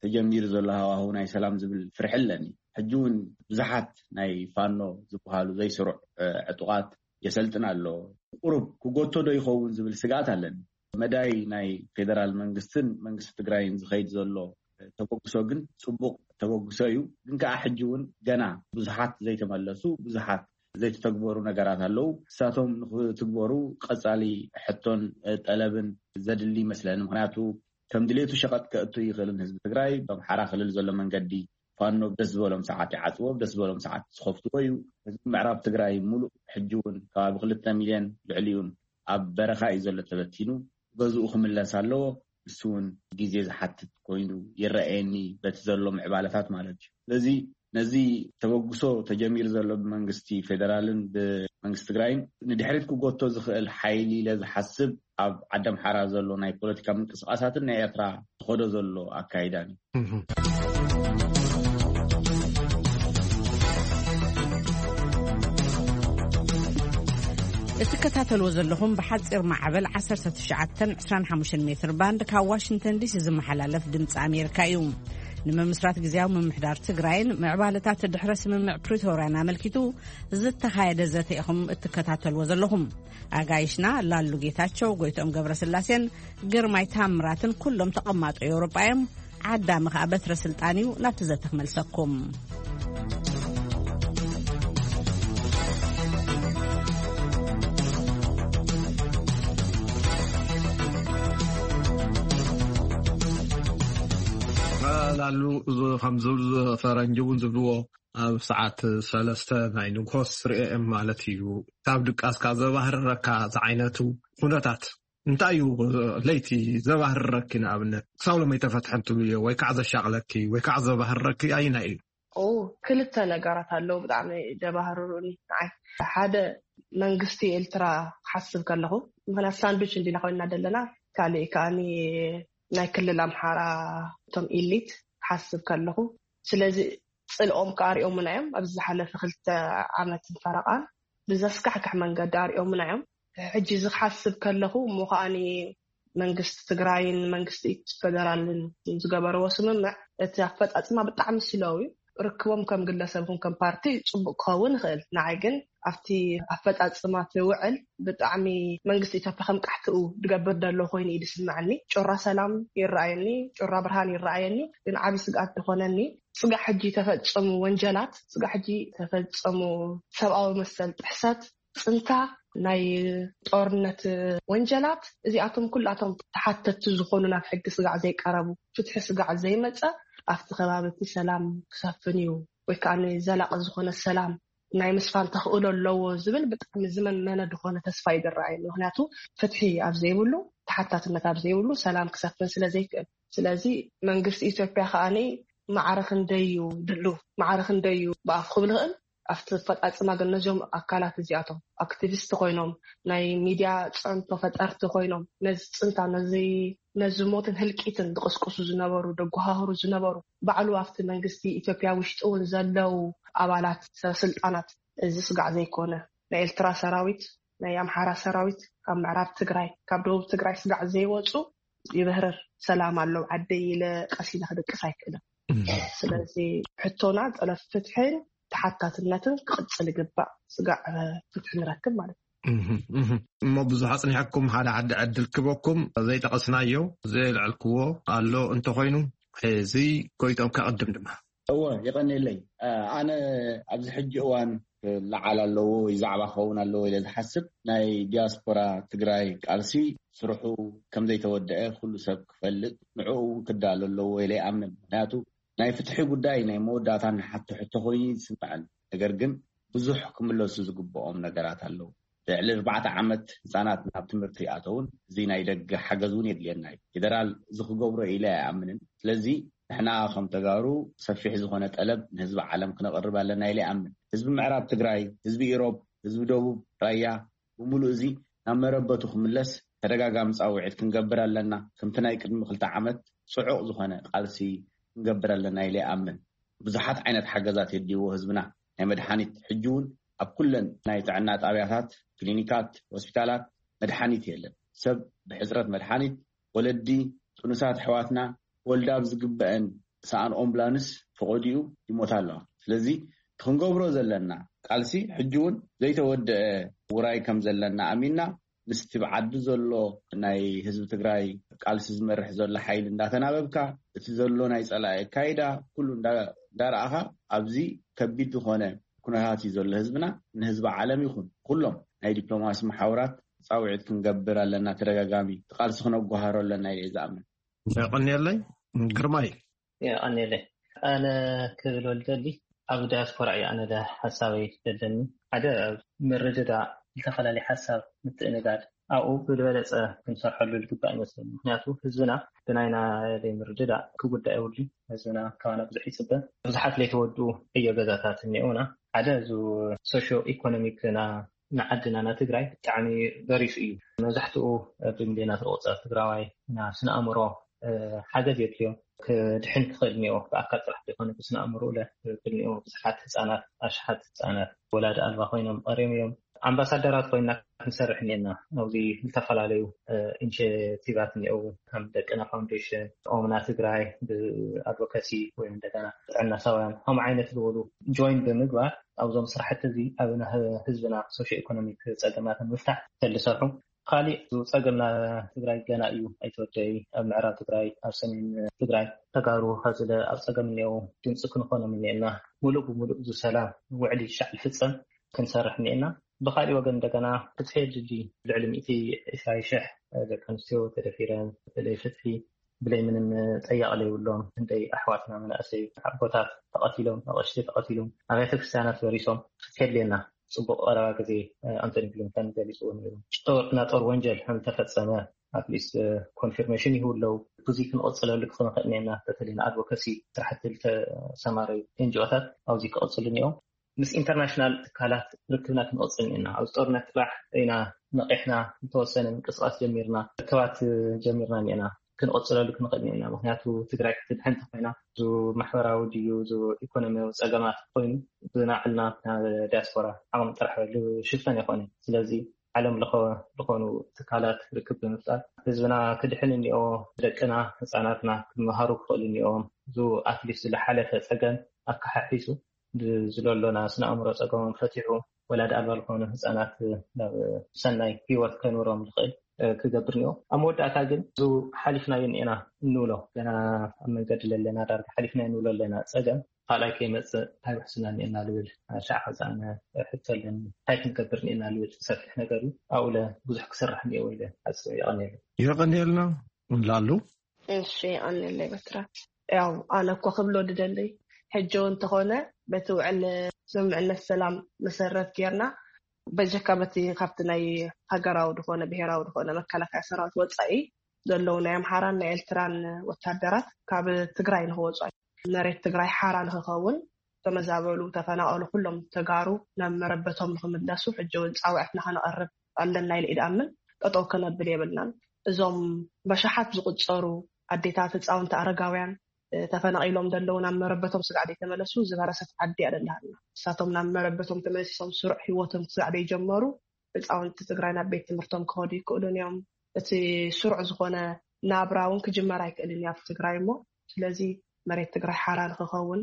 ተጀሚሩ ዘሎ ሃዋህው ናይ ሰላም ዝብል ፍርሒ ኣለኒ። ሕጂ እውን ብዙሓት ናይ ፋኖ ዝበሃሉ ዘይስሩዕ፣ እ፣ ዕጡቓት የሰልጥን ኣሎ። ቁሩብ ክጎቶ ዶ ይኸውን ዝብል ስግኣት ኣለኒ። መዳይ ናይ ፌደራል መንግስትን መንግስቲ ትግራይን ዝኸይድ ዘሎ ተበግሶ ግን ጽቡቕ ተበግሶ እዩ። ግን ከኣ ሕጂ እውን ገና ብዙሓት ዘይተመለሱ፣ ብዙሓት ዘይተተግበሩ ነገራት ኣለዉ። ንሳቶም ንኽትግበሩ ቀጻሊ ሕቶን፣ እ፣ ጠለብን ዘድሊ ይመስለኒ። ምኽንያቱ ከም ድሌቱ ሸቐጥ ከእቱ ይኽእልን ህዝቢ ትግራይ። ብኣምሓራ ክልል ዘሎ መንገዲ ፋኖ ደስ ዝበሎም ሰዓት ይዓጽዎ፣ ደስ ዝበሎም ሰዓት ዝኸፍትዎ እዩ። ህዝቢ ምዕራብ ትግራይ ሙሉእ ሕጂ እውን ከባቢ ክልተ ሚልዮን ልዕሊኡን ኣብ በረኻ እዩ ዘሎ ተበቲኑ። ገዝኡ ክምለስ ኣለዎ። ንሱ እውን ግዜ ዝሓትት ኮይኑ ይረኣየኒ፣ በቲ ዘሎ ምዕባለታት ማለት እዩ። ስለዚ ነዚ ተበግሶ ተጀሚሩ ዘሎ ብመንግስቲ ፌደራልን ብመንግስቲ ትግራይን ንድሕሪት ክጎቶ ዝኽእል ሓይሊ ኢለ ዝሓስብ፣ ኣብ ዓዲ ኣምሓራ ዘሎ ናይ ፖለቲካ ምንቅስቃሳትን ናይ ኤርትራ ዝኸዶ ዘሎ ኣካይዳን እዩ። እትከታተልዎ ዘለኹም ብሓፂር ማዕበል ዓሰርተ ትሽዓተን ዕስራን ሓሙሽተን ሜትር ባንድ ካብ ዋሽንግተን ዲሲ ዝመሓላለፍ ድምፂ ኣሜሪካ እዩ። ንምምስራት ግዜያዊ ምምሕዳር ትግራይን ምዕባለታት ድሕረ ስምምዕ ፕሪቶርያን ኣመልኪቱ ዝተኻየደ ዘተ ኢኹም እትከታተልዎ ዘለኹም። ኣጋይሽና ላሉ ጌታቸው፣ ጎይቶም ገብረስላሴን ግርማይ ታምራትን ኩሎም ተቐማጦ ኤውሮጳ እዮም። ዓዳሚ ከኣ በትረ ስልጣን እዩ። ናብቲ ዘተ ክመልሰኩም። ላሉ፣ እዚ ከም ዝብል ፈረንጂ እውን ዝብልዎ፣ ኣብ ሰዓት ሰለስተ ናይ ንግሆ ስሪ ኤ ኤም ማለት እዩ። ካብ ድቃስካ ዘባህርረካ ዝዓይነቱ ኩነታት እንታይ እዩ? ለይቲ ዘባህርረኪ፣ ንኣብነት ክሳብ ሎሚ ኣይተፈትሐን ትብልዮ ወይ ከዓ ዘሻቕለኪ ወይ ከዓ ዘባህርረኪ ኣይናይ እዩ? ክልተ ነገራት ኣለዉ ብጣዕሚ ደባህርሩኒ ንዓይ። ሓደ፣ መንግስቲ ኤርትራ ክሓስብ ከለኹ፣ ምክንያት ሳንዱች እንዲና ኮይና ዘለና፣ ካልእ ከኣኒ ናይ ክልል ኣምሓራ እቶም ኢሊት ክሓስብ ከለኹ፣ ስለዚ ጽልኦም ከኣ ኣሪኦምና እዮም። ኣብዚ ዝሓለፈ ክልተ ዓመትን ፈረቓን ብዘስካሕክሕ መንገዲ ኣሪኦምና እዮም። ሕጂ እዚ ክሓስብ ከለኹ እሞ ከኣኒ መንግስቲ ትግራይን መንግስቲ ፈደራልን ዝገበርዎ ስምምዕ እቲ ኣፈፃፅማ ብጣዕሚ ስለው እዩ። ርክቦም ከም ግለሰብ ይኹን ከም ፓርቲ ፅቡቅ ክኸውን ይኽእል። ንዓይ ግን ኣብቲ ኣፈፃፅማ እቲ ውዕል ብጣዕሚ መንግስቲ ኢትዮጵያ ከም ቃሕትኡ ዝገብር ዘሎ ኮይኑ እዩ ዝስምዐኒ። ጩራ ሰላም ይረኣየኒ፣ ጩራ ብርሃን ይረኣየኒ፣ ግን ዓብዪ ስግኣት ዝኾነኒ ስጋዕ ሕጂ ተፈፀሙ ወንጀላት፣ ስጋዕ ሕጂ ተፈፀሙ ሰብኣዊ መሰል ጥሕሰት፣ ፅንታ፣ ናይ ጦርነት ወንጀላት፣ እዚኣቶም ኩላቶም ተሓተቲ ዝኾኑ ናብ ሕጊ ስጋዕ ዘይቀረቡ፣ ፍትሒ ስጋዕ ዘይመፀ ኣብቲ ከባቢ እቲ ሰላም ክሰፍን እዩ ወይ ከዓ ዘላቂ ዝኾነ ሰላም ናይ ምስፋን ተኽእሎ ኣለዎ ዝብል ብጣዕሚ ዝመንመነ ዝኾነ ተስፋ ይድረኣየኒ። ምክንያቱ ፍትሒ ኣብ ዘይብሉ፣ ተሓታትነት ኣብ ዘይብሉ ሰላም ክሰፍን ስለ ዘይክእል። ስለዚ መንግስቲ ኢትዮጵያ ከኣኒ ማዕረ ክንደይ እዩ ድሉ፣ ማዕረ ክንደይ እዩ ብኣፍ ክብል ይኽእል። ኣብቲ ኣፈፃፅማ ግን ነዞም ኣካላት እዚኣቶም ኣክቲቪስት ኮይኖም፣ ናይ ሚድያ ፅዕንቶ ፈጠርቲ ኮይኖም፣ ነዚ ፅንታ፣ ነዚ ነዚ ሞትን ህልቂትን ዝቕስቅሱ ዝነበሩ፣ ደጓሃህሩ ዝነበሩ፣ ባዕሉ ኣብቲ መንግስቲ ኢትዮጵያ ውሽጢ እውን ዘለዉ ኣባላት ሰበስልጣናት እዚ ስጋዕ ዘይኮነ፣ ናይ ኤርትራ ሰራዊት፣ ናይ ኣምሓራ ሰራዊት ካብ ምዕራብ ትግራይ፣ ካብ ደቡብ ትግራይ ስጋዕ ዘይወፁ፣ ይብህርር፣ ሰላም ኣሎ ዓደይ ኢለ ቀስ ኢለ ክድቅስ ኣይክእልን። ስለዚ ሕቶና ጠለብ ፍትሕን ተሓታትነትን ክቕፅል ይግባእ። ስጋዕ ፍትሒ ንረክብ ማለት እዩ። እሞ ብዙሕ ኣፅኒሐኩም፣ ሓደ ዓዲ ዕድል ክበኩም። ዘይጠቐስናዮ፣ ዘየልዐልክዎ ኣሎ እንተኾይኑ፣ እዚ ጎይቶም ከቐድም ድማ። እወ፣ የቐንየለይ። ኣነ ኣብዚ ሕጂ እዋን ክለዓል ኣለዎ ወይ ዛዕባ ክኸውን ኣለዎ ኢለ ዝሓስብ፣ ናይ ዲያስፖራ ትግራይ ቃልሲ ስርሑ ከም ዘይተወደአ ኩሉ ሰብ ክፈልጥ፣ ንዕኡ እውን ክዳሎ ኣለዎ ኢለ ይኣምን። ምክንያቱ ናይ ፍትሒ ጉዳይ ናይ መወዳእታ ንሓቶ ሕቶ ኮይኑ ይስምዐን። ነገር ግን ብዙሕ ክምለሱ ዝግብኦም ነገራት ኣለዉ። ልዕሊ ኣርባዕተ ዓመት ህፃናት ናብ ትምህርቲ ይኣተውን እዚ ናይ ደገ ሓገዝ እውን የድልየና እዩ። ፌደራል እዚ ክገብሮ ኢለ ኣይኣምንን። ስለዚ ንሕና ከም ተጋሩ ሰፊሕ ዝኾነ ጠለብ ንህዝቢ ዓለም ክነቕርብ ኣለና ኢለ ይኣምን። ህዝቢ ምዕራብ ትግራይ፣ ህዝቢ ኢሮብ፣ ህዝቢ ደቡብ ራያ ብምሉእ እዚ ናብ መረበቱ ክምለስ ተደጋጋሚ ፃውዒት ክንገብር ኣለና። ከምቲ ናይ ቅድሚ ክልተ ዓመት ፅዑቕ ዝኾነ ቃልሲ ክንገብር ኣለና ኢለ ይኣምን። ብዙሓት ዓይነት ሓገዛት የድልይዎ ህዝብና። ናይ መድሓኒት፣ ሕጂ እውን ኣብ ኩለን ናይ ጥዕና ጣብያታት፣ ክሊኒካት፣ ሆስፒታላት መድሓኒት የለን። ሰብ ብሕፅረት መድሓኒት፣ ወለዲ፣ ጥኑሳት ኣሕዋትና ወልዳ ኣብ ዝግበአን ሰኣን ኦምብላንስ ፈቐዲኡ ይሞታ ኣለዋ። ስለዚ እቲ ክንገብሮ ዘለና ቃልሲ ሕጂ እውን ዘይተወደአ ውራይ ከም ዘለና ኣሚንና፣ ምስቲ ብዓዲ ዘሎ ናይ ህዝቢ ትግራይ ቃልሲ ዝመርሕ ዘሎ ሓይሊ እንዳተናበብካ፣ እቲ ዘሎ ናይ ጸላኢ ኣካይዳ ኩሉ እንዳ-፣ እንዳረኣኻ፣ ኣብዚ ከቢድ ዝኾነ ኩነታት እዩ ዘሎ ህዝብና። ንህዝቢ ዓለም ይኹን ኩሎም ናይ ዲፕሎማሲ መሓውራት ጻውዒት ክንገብር ኣለና። ተደጋጋሚ እቲ ቃልሲ ክነጓሃሮ ኣለና ኢለ እየ ዝኣምን። የቐንየለይ ግርማይ። የቐንየለይ። ኣነ ክብል ወልደሊ ኣብ ዳያስፖራ እዩ ኣነ ደ ሓሳበይ ደለኒ። ሓደ ምርድዳእ፣ ዝተፈላለዩ ሓሳብ ምትእንጋድ ኣብኡ ብዝበለፀ ክንሰርሐሉ ዝግባእ ይመስለኒ። ምክንያቱ ህዝብና ብናይና ዘይምርድዳእ ክጉዳእ የብሉ። ህዝብና ካባና ብዙሕ ይፅበ። ብዙሓት ዘይተወድኡ ዕዮ ገዛታት እኒኦና። ሓደ እዚ ሶሾ ኢኮኖሚክና ንዓድና ንትግራይ ብጣዕሚ በሪሱ እዩ። መብዛሕትኡ ብሚልዮናት ዝቑፀር ትግራዋይ ናብ ስነ ኣእምሮ ሓገዝ የድልዮ። ክድሕን ክኽእል እኒኦ፣ ብኣካል ጥራሕ ዘይኮነ ብስነ ኣእምሮ ለ ክኽእል እኒኦ። ብዙሓት ህፃናት፣ ኣሽሓት ህፃናት ወላዲ ኣልባ ኮይኖም ቀርዮም እዮም። ኣምባሳደራት ኮይና ክንሰርሕ እኒአና። ኣብዚ ዝተፈላለዩ ኢኒሽቲቫት እኒአው፣ ከም ደቅና ፋውንዴሽን፣ ኦምና ትግራይ ብኣድቮካሲ ወይ እንደገና ጥዕና ሳውያን ከም ዓይነት ዝበሉ ጆይን ብምግባር ኣብዞም ስራሕቲ እዚ ኣብ ህዝብና ሶሽ ኢኮኖሚክ ፀገማት ንምፍታሕ ተልሰርሑ። ካሊእ ጸገምና ትግራይ ገና እዩ ኣይተወደኢ። ኣብ ምዕራብ ትግራይ፣ ኣብ ሰሜን ትግራይ ተጋሩ ከዝለ ኣብ ጸገም እኒኦ ድምፂ ክንኾኖም እኒኤና። ሙሉእ ብሙሉእ ዝሰላም ውዕሊ ሻዕ ልፍፀም ክንሰርሕ እኒኤና። ብካሊእ ወገን እንደገና ፍትሒ የድሊ። ልዕሊ ሚእቲ ዕስራ ሽሕ ደቂ ኣንስትዮ ተደፊረን ብለይ ፍትሒ ብለይ ምንም ጠያቕ ዘይብሎም እንደይ ኣሕዋትና መናእሰይ ኣቦታት ተቐቲሎም ኣቐሽቲ ተቐቲሎም ኣብያተ ክርስቲያናት በሪሶም ፍትሒ የድልየና። ጽቡቕ ቀረባ ግዜ ኣንቶኒ ብሊንከን ገሊጽዎ ነይሩ። ጦር ናጦር ወንጀል ከም ተፈጸመ ኣትሊስት ኮንፊርሜሽን ይህቡ ኣለዉ። ብዙ ክንቐጽለሉ ክንኽእል እኒአና። በተለይ ንኣድቮካሲ ስራሕቲ ዝተሰማረዩ ኤንጂኦታት ኣብዚ ክቐጽሉ እኒኦም። ምስ ኢንተርናሽናል ትካላት ርክብና ክንቐጽል እኒአና። ኣብዚ ጦርነት ጥራሕ ኢና ነቂሕና ዝተወሰነ ምንቅስቃስ ጀሚርና ርክባት ጀሚርና እኒአና። ክንቐጽለሉ ክንኽእል እኒአና። ምክንያቱ ትግራይ ክትድሕን እንተኮይና እዚ ማሕበራዊ ድዩ እዚ ኢኮኖሚያዊ ፀገማት ኮይኑ ብናዕልና ዲያስፖራ ዓቕሚ ጥራሕ ዝሽፈን ኣይኮነ። ስለዚ ዓለም ለኸ ዝኾኑ ትካላት ርክብ ብምፍጣር ህዝብና ክድሕን እኒኦ፣ ደቅና ህፃናትና ክመሃሩ ክኽእሉ እኒኦም። እዚ ኣትሊስት ዝለሓለፈ ፀገም ኣካሓሒሱ ዝለሎና ስነ ኣእምሮ ፀገሞም ፈቲሑ ወላዲ ኣልባ ዝኾኑ ህፃናት ናብ ሰናይ ህይወት ከንብሮም ዝኽእል ክገብር እኒኦ። ኣብ መወዳእታ ግን እዚ ሓሊፍናዮ እኒኤና እንብሎ ገና ኣብ መንገዲ ለለና ዳርጋ ሓሊፍናዮ እንብሎ ኣለና ፀገም ካልኣይ ከይመፅእ እንታይ ውሕስና እኒኤና ልብል ሻዕ ከዛነ ሕቶ ኣለኒ። እንታይ ክንገብር እኒኤና ልብል ሰፊሕ ነገር እዩ። ኣብኡ ለ ብዙሕ ክስራሕ እኒኦ ኢለ ሓስብ። የቐንየሉ። የቐንየልና ላሉ። እሺ፣ የቐንየለይ በትራ። ያው ኣነ እኮ ክብሎ ድደሊ ሕጂ እውን እንተኾነ በቲ ውዕል ስምምዕነት ሰላም መሰረት ጌርና በጀካ በቲ ካብቲ ናይ ሃገራዊ ዝኾነ ብሄራዊ ዝኾነ መከላከያ ሰራዊት ወፃኢ ዘለዉ ናይ ኣምሓራን ናይ ኤርትራን ወታደራት ካብ ትግራይ ንክወፁ፣ መሬት ትግራይ ሓራ ንክኸውን፣ ተመዛበሉ፣ ተፈናቀሉ ኩሎም ተጋሩ ናብ መረበቶም ንክምለሱ ሕጂ እውን ፃውዕትና ከነቀርብ ኣለና ኢለ ኢድኣምን ጠጠው ከነብል የብልናን። እዞም በሻሓት ዝቁፀሩ ኣዴታት፣ ህፃውንቲ፣ ኣረጋውያን ተፈናቒሎም ደለዉ ናብ መረበቶም ስጋዕ ደይተመለሱ ዝበረሰት ዓዲ እያ ደላሃልና። እሳቶም ናብ መረበቶም ተመለሲሶም ስሩዕ ህይወቶም ክሳዕ ደይጀመሩ ህፃውንቲ ትግራይ ናብ ቤት ትምህርቶም ክኸዱ ይክእሉን እዮም። እቲ ስሩዕ ዝኾነ ናብራ እውን ክጅመር ኣይክእልን እዩ ኣብ ትግራይ እሞ ስለዚ መሬት ትግራይ ሓራ ንክኸውን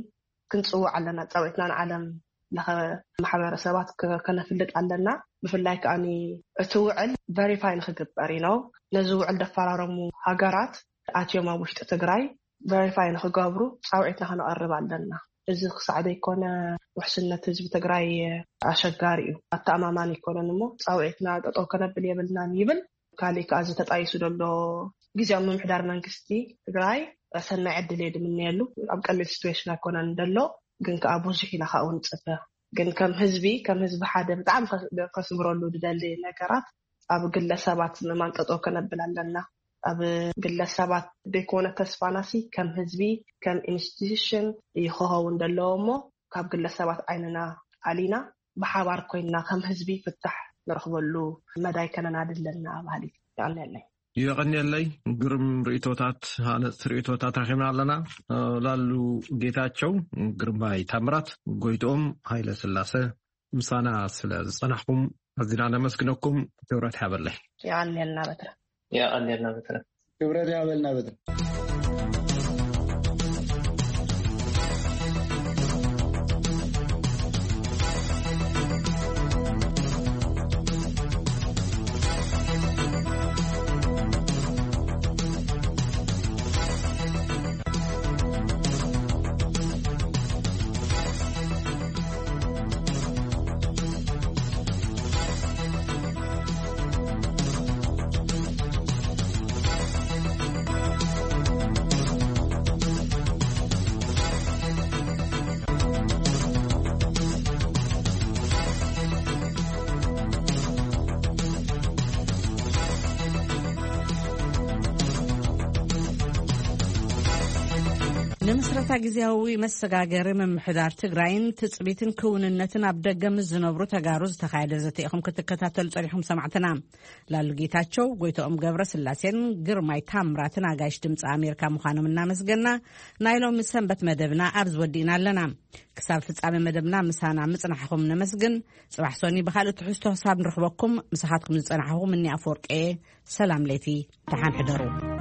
ክንፅውዕ ኣለና። ፃውዒትና ንዓለም ለኸ ማሕበረሰባት ከነፍልጥ ኣለና። ብፍላይ ከዓኒ እቲ ውዕል ቨሪፋይ ንክግበር እዩ ነው። ነዚ ውዕል ደፈራረሙ ሃገራት ኣትዮም ኣብ ውሽጢ ትግራይ ቨሪፋይ ንክገብሩ ፃውዒትና ከነቐርብ ኣለና። እዚ ክሳዕ ዘይኮነ ውሕስነት ህዝቢ ትግራይ ኣሸጋሪ እዩ፣ ኣተኣማማኒ ኣይኮነን። እሞ ፃውዒትና ጠጠው ከነብል የብልናን ይብል። ካሊእ ከዓ እዚ ተጣይሱ ዘሎ ግዜያዊ ምምሕዳር መንግስቲ ትግራይ ሰናይ ዕድል እየ ድምነየሉ። ኣብ ቀሊል ሲትዌሽን ኣይኮነን ደሎ፣ ግን ከዓ ብዙሕ ኢና ካብኡ ንፅበ። ግን ከም ህዝቢ ከም ህዝቢ ሓደ ብጣዕሚ ከስምረሉ ድደሊ ነገራት ኣብ ግለሰባት ምእማን ጠጠው ከነብል ኣለና። ኣብ ግለሰባት ዘይኮነ ተስፋናሲ ከም ህዝቢ ከም ኢንስቲቱሽን እዩ ክኸውን ዘለዎ እሞ ካብ ግለሰባት ዓይንና ኣሊና ብሓባር ኮይንና ከም ህዝቢ ፍታሕ ንረኽበሉ መዳይ ከነናዲ ኣለና በሃሊት። ይቐንየለይ። የቐንየለይ። ግርም ርእቶታት፣ ሃነፅቲ ርእቶታት ረኺብና ኣለና። ላሉ ጌታቸው፣ ግርማይ ታምራት፣ ጎይትኦም ሃይለ ስላሰ ምሳና ስለ ዝፀናሕኩም ኣዚና ነመስግነኩም። ክብረት ሓበለይ። የቐንየልና በትረ። የቐንየልና በትረ። ክብረት ያበልና በትረ። ንምስረታ ግዜያዊ መሰጋገሪ ምምሕዳር ትግራይን ትጽቢትን ክውንነትን ኣብ ደገ ምስ ዝነብሩ ተጋሩ ዝተኻየደ ዘተ ኢኹም ክትከታተሉ ጸኒሕኩም ሰማዕትና። ላሉ ጌታቸው፣ ጎይቶኦም ገብረ ስላሴን ግርማይ ታምራትን ኣጋይሽ ድምፂ ኣሜሪካ ምዃኖም እናመስገና፣ ናይ ሎሚ ሰንበት መደብና ኣብዚ ወዲእና ኣለና። ክሳብ ፍጻሜ መደብና ምሳና ምጽናሕኹም ነመስግን። ጽባሕ ሶኒ ብኻልእ ትሕዝቶ ክሳብ ንረኽበኩም፣ ምሳኻትኩም ዝጸናሕኹም እኒ ኣፈወርቂ። ሰላም ለይቲ፣ ደሓን ሕደሩ።